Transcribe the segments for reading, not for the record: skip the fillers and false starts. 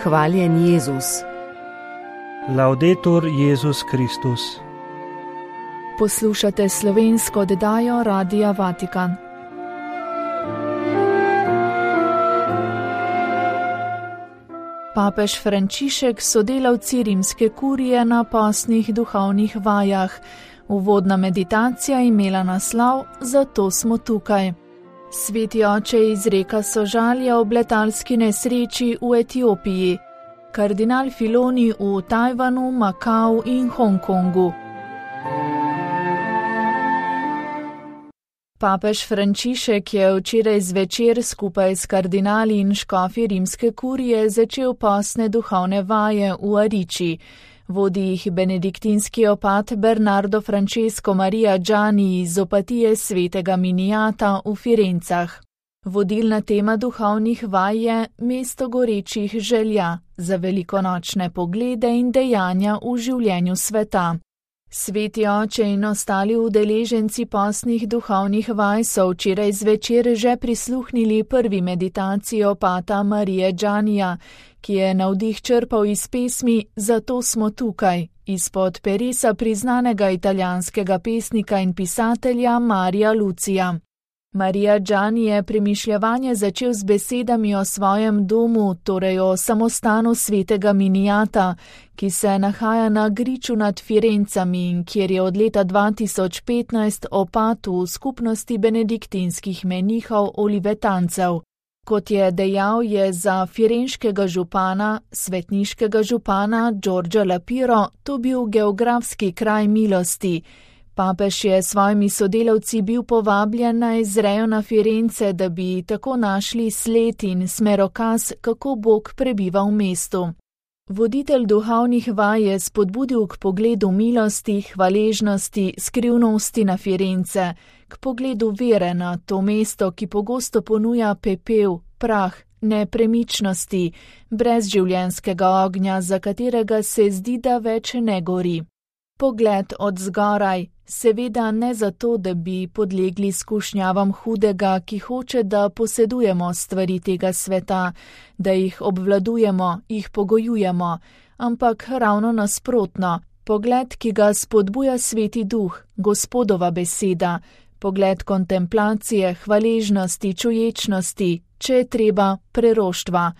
Hvaljen Jezus. Laudetur Jezus Kristus. Poslušate slovensko oddajo Radia Vatikan. Papež Frančišek, sodelavci rimske kurije na postnih duhovnih vajah. Uvodna meditacija imela naslov Zato smo tukaj. Sveti oče izreka sožalja ob letalski nesreči v Etiopiji. Kardinal Filoni v Tajvanu, Makau in Hongkongu. Papež Frančišek je včeraj zvečer skupaj s kardinali in škofi rimske kurije začel postne duhovne vaje v Ariči. Vodi jih benediktinski opat Bernardo Francesco Maria Gianni iz opatije svetega Minijata v Firencah. Vodilna tema duhovnih vaj je mesto gorečih želja za velikonočne poglede in dejanja v življenju sveta. Sveti oče in ostali udeleženci postnih duhovnih vaj so včeraj zvečer že prisluhnili prvi meditaciji opata Marije Giannija, ki je navdih črpal iz pesmi Zato smo tukaj, izpod peresa priznanega italijanskega pesnika in pisatelja Marija Lucija. Marija Gianni je premišljevanje začel z besedami o svojem domu, torej o samostanu svetega Minijata, ki se nahaja na griču nad Firencami in kjer je od leta 2015 opat v skupnosti benediktinskih menihov olivetancev. Kot je dejal, je za firenškega župana, svetniškega župana Giorgio Lapiro, to bil geografski kraj milosti. Papež je s svojimi sodelavci bil povabljen naj zrejo na Firence, da bi tako našli sled in smerokaz, kako Bog prebiva v mestu. Voditelj duhovnih vaj je spodbudil k pogledu milosti, hvaležnosti, skrivnosti na Firence, k pogledu vere na to mesto, ki pogosto ponuja pepel, prah, nepremičnosti, brez življenjskega ognja, za katerega se zdi, da več ne gori. Pogled od zgoraj, seveda ne zato, da bi podlegli skušnjavam hudega, ki hoče, da posedujemo stvari tega sveta, da jih obvladujemo, jih pogojujemo, ampak ravno nasprotno, pogled, ki ga spodbuja Sveti Duh, Gospodova beseda, pogled kontemplacije, hvaležnosti, čuječnosti, če je treba, preroštva.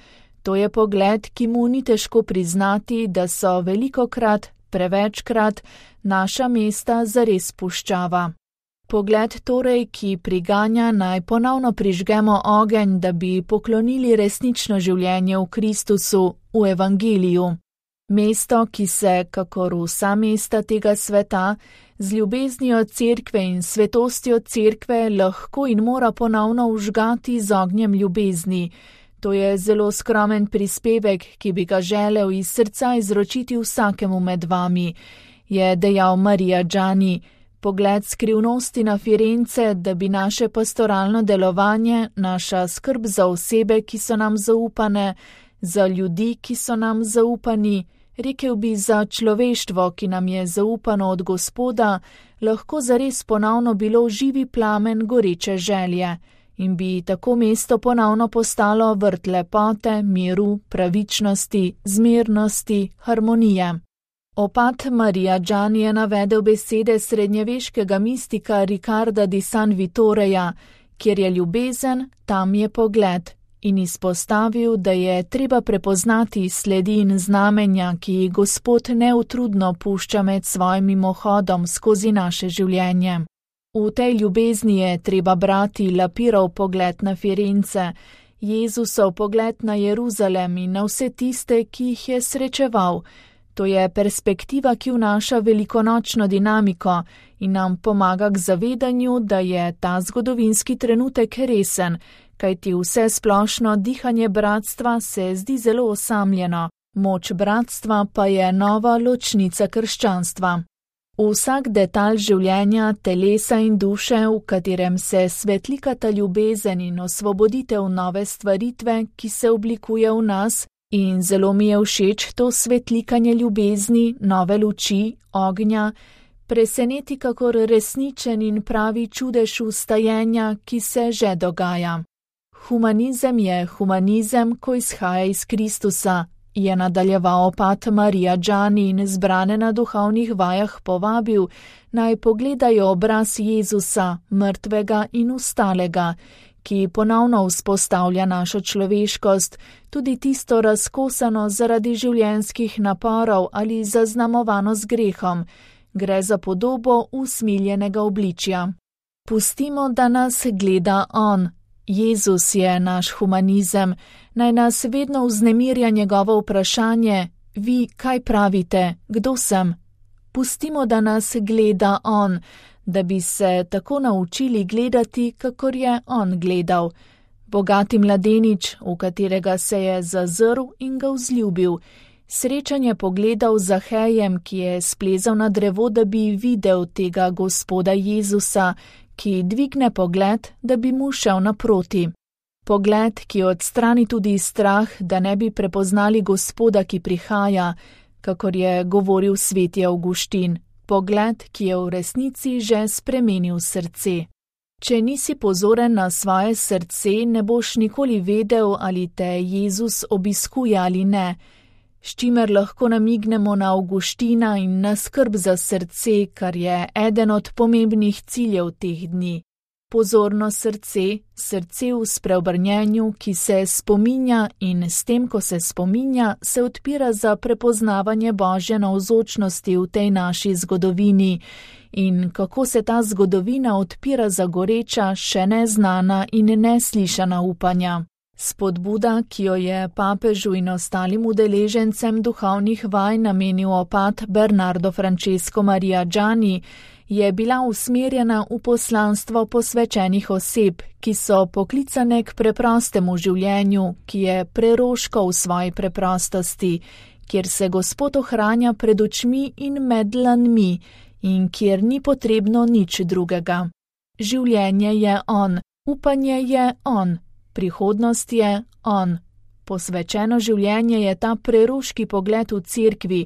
To je pogled, ki mu ni težko priznati, da so velikokrat, prevečkrat, naša mesta zares puščava. Pogled torej, ki priganja, naj ponovno prižgemo ogenj, da bi poklonili resnično življenje v Kristusu, v Evangeliju. Mesto, ki se, kakor vsa mesta tega sveta, z ljubeznijo cerkve in svetostjo cerkve lahko in mora ponovno vžgati z ognjem ljubezni. To je zelo skromen prispevek, ki bi ga želel iz srca izročiti vsakemu med vami, je dejal Marija Gianni. Pogled skrivnosti na Firence, da bi naše pastoralno delovanje, naša skrb za osebe, ki so nam zaupane, za ljudi, ki so nam zaupani, rekel bi za človeštvo, ki nam je zaupano od Gospoda, lahko zares ponovno bilo živi plamen goreče želje. In bi tako mesto ponovno postalo vrt lepote, miru, pravičnosti, zmernosti, harmonije. Opat Marija Gianni je navedel besede srednjeveškega mistika Riccarda di San Vittoreja, kjer je ljubezen, tam je pogled, in izpostavil, da je treba prepoznati sledi in znamenja, ki jih Gospod neutrudno pušča med svojim mimohodom skozi naše življenje. V tej ljubezni je treba brati Lapirov pogled na Firence, Jezusov pogled na Jeruzalem in na vse tiste, ki jih je srečeval. To je perspektiva, ki vnaša velikonočno dinamiko in nam pomaga k zavedanju, da je ta zgodovinski trenutek resen, kajti vse splošno dihanje bratstva se zdi zelo osamljeno, moč bratstva pa je nova ločnica krščanstva. Vsak detalj življenja, telesa in duše, v katerem se svetlikata ljubezen in osvoboditev nove stvaritve, ki se oblikuje v nas, in zelo mi je všeč to svetlikanje ljubezni, nove luči, ognja, preseneti kakor resničen in pravi čudež vstajenja, ki se že dogaja. Humanizem je humanizem, ko izhaja iz Kristusa, je nadaljeval opat Marija Džani in zbrane na duhovnih vajah povabil, naj pogledajo obraz Jezusa, mrtvega in vstalega, ki ponovno vzpostavlja našo človeškost, tudi tisto razkosano zaradi življenjskih naporov ali zaznamovano z grehom. Gre za podobo usmiljenega obličja. Pustimo, da nas gleda on. Jezus je naš humanizem, naj nas vedno vznemirja njegovo vprašanje: vi kaj pravite, kdo sem? Pustimo, da nas gleda on, da bi se tako naučili gledati, kakor je on gledal. Bogati mladenič, v katerega se je zazrl in ga vzljubil. Srečanje pogledal z Zahejem, ki je splezal na drevo, da bi videl tega Gospoda Jezusa, ki dvigne pogled, da bi mu šel naproti. Pogled, ki odstrani tudi strah, da ne bi prepoznali Gospoda, ki prihaja, kakor je govoril sveti Avguštin. Pogled, ki je v resnici že spremenil srce. Če nisi pozoren na svoje srce, ne boš nikoli vedel, ali te Jezus obiskuje ali ne, s čimer lahko namignemo na Avguština in na skrb za srce, kar je eden od pomembnih ciljev teh dni. Pozorno srce, srce v spreobrnjenju, ki se spominja in s tem, ko se spominja, se odpira za prepoznavanje Božje navzočnosti v tej naši zgodovini in kako se ta zgodovina odpira za goreča, še neznana in neslišana upanja. Spodbuda, ki jo je papežu in ostalim udeležencem duhovnih vaj namenil opat Bernardo Francesco Maria Džani, je bila usmerjena v poslanstvo posvečenih oseb, ki so poklicane k preprostemu življenju, ki je preroško v svoji preprostosti, kjer se Gospod ohranja pred očmi in med dlanmi in kjer ni potrebno nič drugega. Življenje je on, upanje je on. Prihodnost je on. Posvečeno življenje je ta preroški pogled v cerkvi,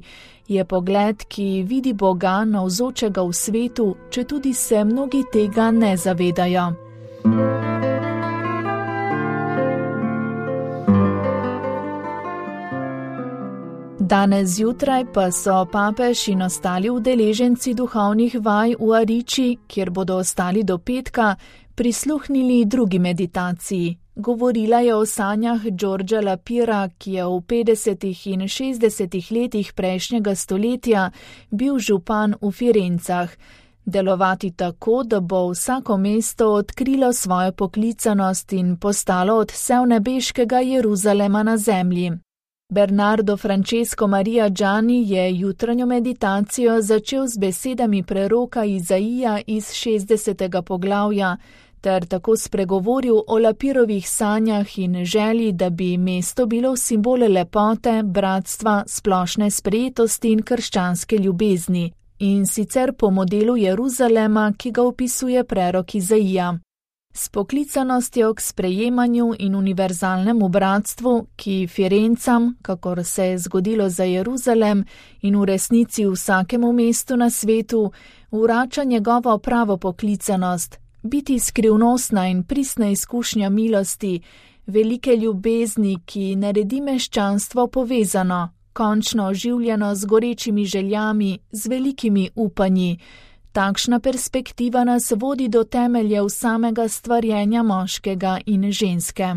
je pogled, ki vidi Boga navzočega v svetu, četudi se mnogi tega ne zavedajo. Danes zjutraj pa so papež in ostali udeleženci duhovnih vaj v Ariči, kjer bodo ostali do petka, prisluhnili drugi meditaciji. Govorila je o sanjah Giorgia Lapira, ki je v 50. in 60. letih prejšnjega stoletja bil župan v Firencah. Delovati tako, da bo vsako mesto odkrilo svojo poklicanost in postalo odsev nebeškega Jeruzalema na zemlji. Bernardo Francesco Maria Džani je jutranjo meditacijo začel z besedami preroka Izaija iz 60. poglavja, ter tako spregovoril o Lapirovih sanjah in želji, da bi mesto bilo simbol lepote, bratstva, splošne sprejetosti in krščanske ljubezni, in sicer po modelu Jeruzalema, ki ga opisuje prerok Izaija. S poklicanostjo k sprejemanju in univerzalnemu bratstvu, ki Firencam, kakor se je zgodilo za Jeruzalem in v resnici vsakemu mestu na svetu, vrača njegovo pravo poklicanost, biti skrivnostna in pristna izkušnja milosti, velike ljubezni, ki naredi meščanstvo povezano, končno oživljeno z gorečimi željami, z velikimi upanji. Takšna perspektiva nas vodi do temeljev samega stvarjenja moškega in ženske.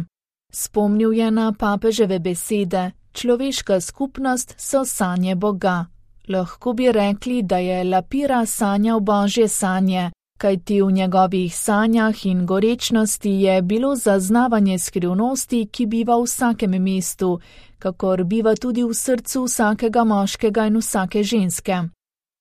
Spomnil je na papeževe besede: človeška skupnost so sanje Boga. Lahko bi rekli, da je Lapira sanjal Božje sanje, kajti v njegovih sanjah in gorečnosti je bilo zaznavanje skrivnosti, ki biva v vsakem mestu, kakor biva tudi v srcu vsakega moškega in vsake ženske.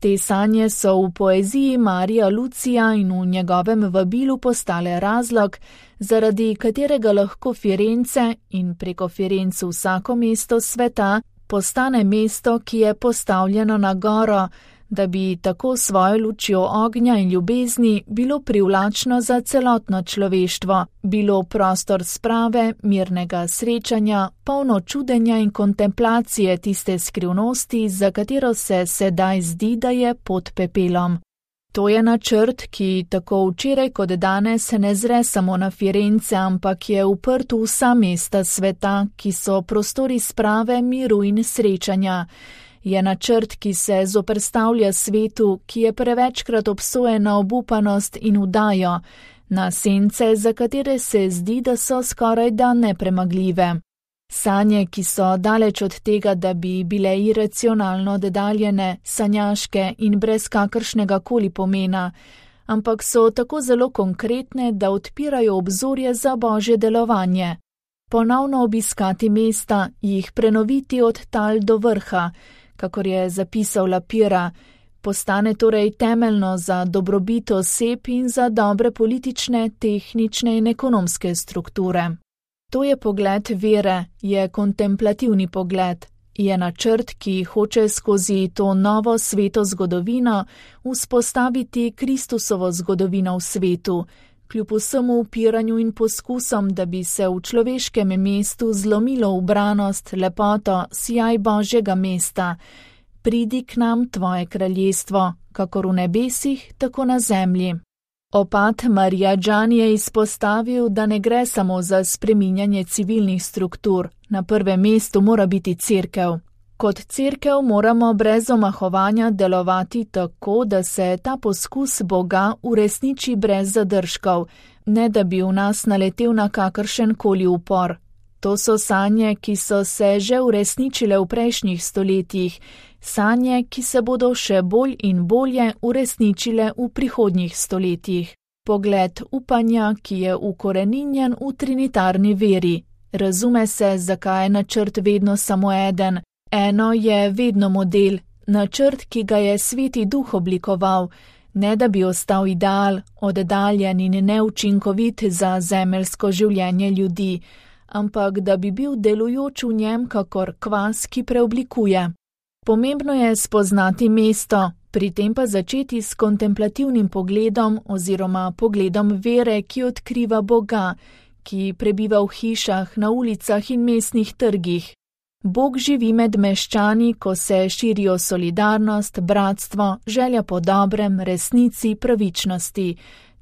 Te sanje so v poeziji Marija Lucija in v njegovem vabilu postale razlog, zaradi katerega lahko Firence in preko Firenc vsako mesto sveta postane mesto, ki je postavljeno na goro, da bi tako svojo lučjo ognja in ljubezni bilo privlačno za celotno človeštvo, bilo prostor sprave, mirnega srečanja, polno čudenja in kontemplacije tiste skrivnosti, za katero se sedaj zdi, da je pod pepelom. To je načrt, ki tako včeraj kot danes ne zre samo na Firence, ampak je uprt v vsa mesta sveta, ki so prostori sprave, miru in srečanja. Je načrt, ki se zoperstavlja svetu, ki je prevečkrat obsojen na obupanost in vdajo, na sence, za katere se zdi, da so skorajda nepremagljive. Sanje, ki so daleč od tega, da bi bile iracionalno oddaljene, sanjaške in brez kakršnega koli pomena, ampak so tako zelo konkretne, da odpirajo obzorje za Božje delovanje. Ponovno obiskati mesta, jih prenoviti od tal do vrha, kakor je zapisal Lapira, postane torej temeljno za dobrobit oseb in za dobre politične, tehnične in ekonomske strukture. To je pogled vere, je kontemplativni pogled, je načrt, ki hoče skozi to novo sveto zgodovino vzpostaviti Kristusovo zgodovino v svetu, kljub vsemu upiranju in poskusom, da bi se v človeškem mestu zlomilo ubranost, lepoto, sijaj Božjega mesta. Pridi k nam tvoje kraljestvo, kakor v nebesih, tako na zemlji. Opat Marijadžan je izpostavil, da ne gre samo za spreminjanje civilnih struktur, na prvem mestu mora biti cerkev. Kot cerkev moramo brez omahovanja delovati tako, da se ta poskus Boga uresniči brez zadržkov, ne da bi v nas naletel na kakršen koli upor. To so sanje, ki so se že uresničile v prejšnjih stoletjih, sanje, ki se bodo še bolj in bolje uresničile v prihodnjih stoletjih. Pogled upanja, ki je ukoreninjen v trinitarni veri. Razume se, zakaj je načrt vedno samo eden. Eno je vedno model, načrt, ki ga je Sveti Duh oblikoval, ne da bi ostal ideal, oddaljen in neučinkovit za zemeljsko življenje ljudi, ampak da bi bil delujoč v njem kakor kvas, ki preoblikuje. Pomembno je spoznati mesto, pri tem pa začeti s kontemplativnim pogledom oziroma pogledom vere, ki odkriva Boga, ki prebiva v hišah, na ulicah in mestnih trgih. Bog živi med meščani, ko se širijo solidarnost, bratstvo, želja po dobrem, resnici, pravičnosti.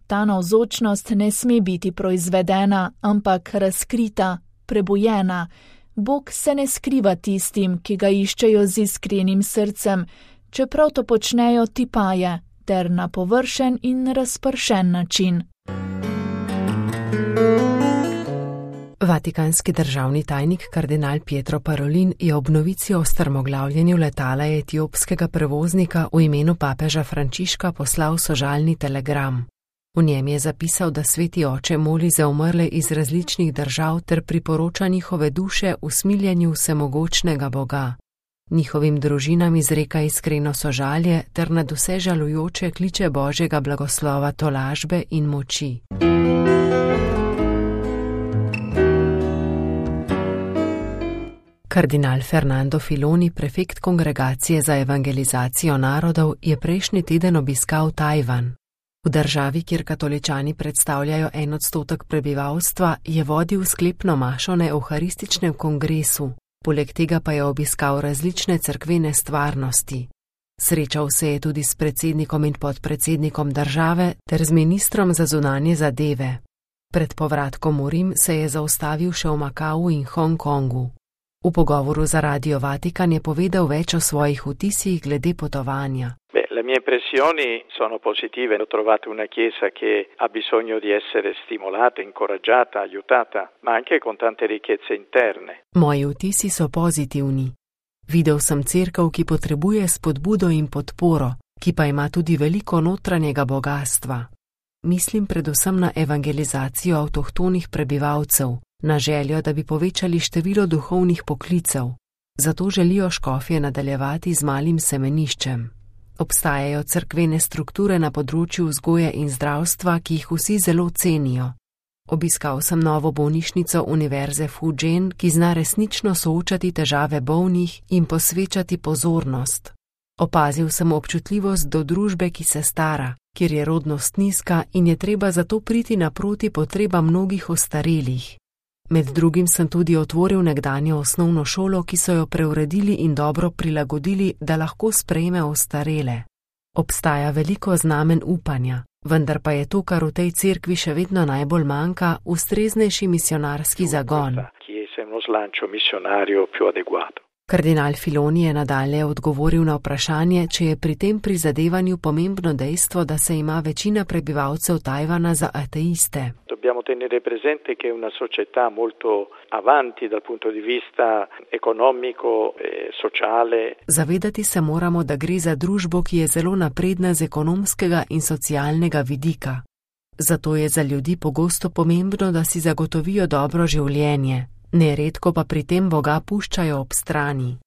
Ta navzočnost ne sme biti proizvedena, ampak razkrita, prebujena. Bog se ne skriva tistim, ki ga iščejo z iskrenim srcem, čeprav to počnejo tipaje, ter na površen in razpršen način. Vatikanski državni tajnik kardinal Pietro Parolin je ob novici o strmoglavljenju letala etiopskega prevoznika v imenu papeža Frančiška poslal sožalni telegram. V njem je zapisal, da Sveti Oče moli za umrle iz različnih držav ter priporoča njihove duše v smiljenju vsemogočnega Boga. Njihovim družinam izreka iskreno sožalje ter nadvse žalujoče kliče Božjega blagoslova, tolažbe in moči. Kardinal Fernando Filoni, prefekt Kongregacije za evangelizacijo narodov, je prejšnji teden obiskal Tajvan. V državi, kjer katoličani predstavljajo 1% prebivalstva, je vodil sklepno mašo na evharističnem kongresu, poleg tega pa je obiskal različne cerkvene stvarnosti. Srečal se je tudi s predsednikom in podpredsednikom države ter z ministrom za zunanje zadeve. Pred povratkom v Rim se je zaustavil še v Makau in Hongkongu. V pogovoru za Radio Vatikan je povedal več o svojih vtisih glede potovanja. Le mie impressioni sono positive. Ho trovato una chiesa che ha bisogno di essere stimolata, incoraggiata, aiutata, ma anche con tante ricchezze interne. Moji vtisi so pozitivni. Videl sem cerkev, ki potrebuje spodbudo in podporo, ki pa ima tudi veliko notranjega bogastva. Mislim predvsem na evangelizacijo avtohtonih prebivalcev, na željo, da bi povečali število duhovnih poklicev. Zato želijo škofje nadaljevati z malim semeniščem. Obstajajo cerkvene strukture na področju vzgoje in zdravstva, ki jih vsi zelo cenijo. Obiskal sem novo bolnišnico Univerze Fujian, ki zna resnično soočati težave bolnih in posvečati pozornost. Opazil sem občutljivost do družbe, ki se stara, kjer je rodnost nizka in je treba zato priti naproti potrebam mnogih ostarelih. Med drugim sem tudi otvoril nekdanjo osnovno šolo, ki so jo preuredili in dobro prilagodili, da lahko sprejme ostarele. Obstaja veliko znamen upanja, vendar pa je to, kar v tej cerkvi še vedno najbolj manjka, ustreznejši misionarski zagon. Kardinal Filoni je nadalje odgovoril na vprašanje, če je pri tem prizadevanju pomembno dejstvo, da se ima večina prebivalcev Tajvana za ateiste. Dobbiamo tenere presente che è una società molto avanti dal punto di vista economico e sociale. Zavedati se moramo, da gre za družbo, ki je zelo napredna z ekonomskega in socialnega vidika. Zato je za ljudi pogosto pomembno, da si zagotovijo dobro življenje. Neredko pa pri tem Boga puščajo ob strani.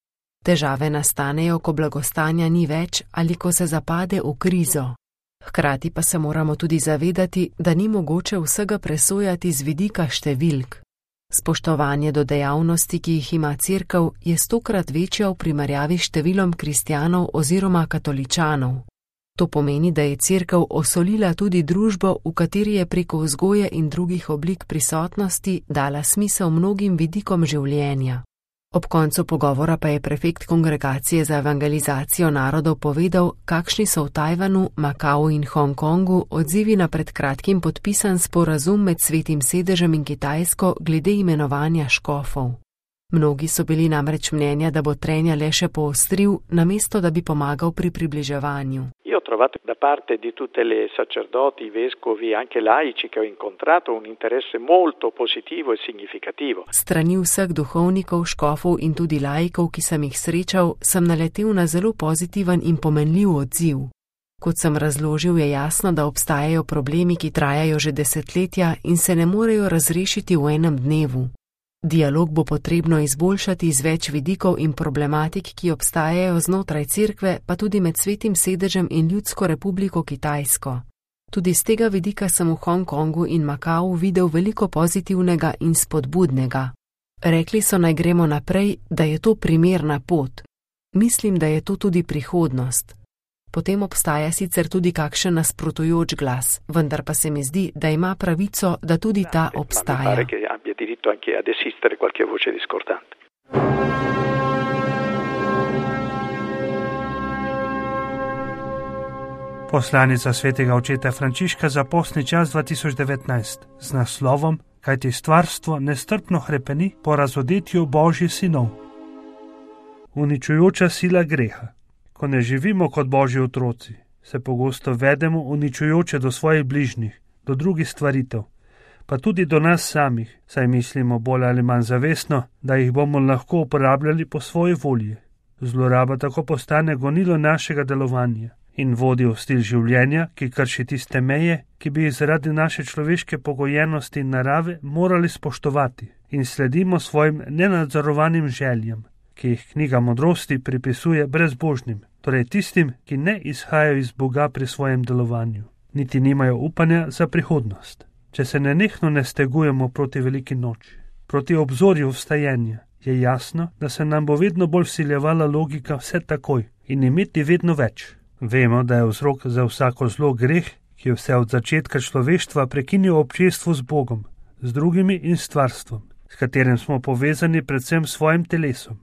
Težave nastanejo, ko blagostanja ni več ali ko se zapade v krizo. Hkrati pa se moramo tudi zavedati, da ni mogoče vsega presojati z vidika številk. Spoštovanje do dejavnosti, ki jih ima cerkev, je 100-krat večja v primerjavi s številom kristjanov oziroma katoličanov. To pomeni, da je cerkev osolila tudi družbo, v kateri je preko vzgoje in drugih oblik prisotnosti dala smisel mnogim vidikom življenja. Ob koncu pogovora pa je prefekt Kongregacije za evangelizacijo narodov povedal, kakšni so v Tajvanu, Makau in Hongkongu odzivi na pred kratkim podpisan sporazum med Svetim sedežem in Kitajsko glede imenovanja škofov. Mnogi so bili namreč mnenja, da bo trenja le še poostril, namesto da bi pomagal pri približevanju. Ho trovato da parte di tutte le sacerdoti, vescovi, anche laici che ho incontrato un interesse molto positivo e significativo. Strani vseh duhovnikov, škofov in tudi laikov, ki sem jih srečal, sem naletel na zelo pozitiven in pomenljiv odziv. Kot sem razložil, je jasno, da obstajajo problemi, ki trajajo že desetletja in se ne morejo razrešiti v enem dnevu. Dialog bo potrebno izboljšati z več vidikov in problematik, ki obstajajo znotraj cerkve, pa tudi med Svetim sedežem in Ljudsko republiko Kitajsko. Tudi z tega vidika sem v Hongkongu in Makau videl veliko pozitivnega in spodbudnega. Rekli so, naj gremo naprej, da je to primerna pot. Mislim, da je to tudi prihodnost. Potem obstaja sicer tudi kakšen nasprotujoč glas, vendar pa se mi zdi, da ima pravico, da tudi ta obstaja. Poslanica svetega očeta Frančiška za postni čas 2019 z naslovom Kajti stvarstvo nestrpno hrepeni po razodetju Božjih sinov. Uničujoča sila greha. Ko ne živimo kot Božji otroci, se pogosto vedemo uničujoče do svojih bližnjih, do drugih stvaritev, pa tudi do nas samih, saj mislimo bolj ali manj zavestno, da jih bomo lahko uporabljali po svoji volji. Zloraba tako postane gonilo našega delovanja in vodi v stil življenja, ki krši tiste meje, ki bi jih zaradi naše človeške pogojenosti in narave morali spoštovati in sledimo svojim nenadzorovanim željam, ki jih knjiga modrosti pripisuje brezbožnim, torej tistim, ki ne izhajajo iz Boga pri svojem delovanju, niti nimajo upanja za prihodnost. Če se nenehno ne stegujemo proti veliki noči, proti obzorju vstajenja, je jasno, da se nam bo vedno bolj vsiljevala logika vse takoj in imeti vedno več. Vemo, da je vzrok za vsako zlo greh, ki je vse od začetka človeštva prekinil občestvo z Bogom, z drugimi in stvarstvom, s katerim smo povezani predvsem s svojim telesom.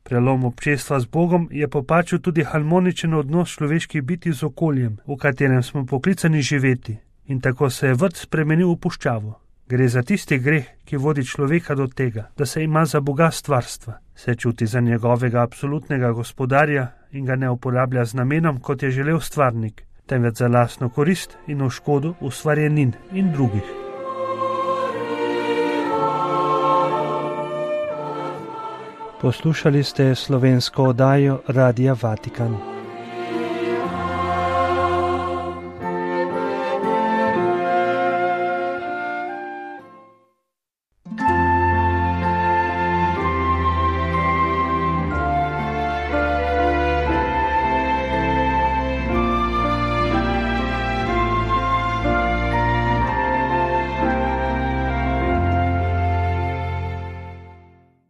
Prelom občestva z Bogom je popačil tudi harmoničen odnos človeških bitij z okoljem, v katerem smo poklicani živeti, in tako se je vrt spremenil v puščavo. Gre za tisti greh, ki vodi človeka do tega, da se ima za Boga stvarstva, se čuti za njegovega absolutnega gospodarja in ga ne uporablja z namenom, kot je želel stvarnik, temveč za lastno korist in v škodo ustvarjenin in drugih. Poslušali ste slovensko oddajo Radia Vatikan.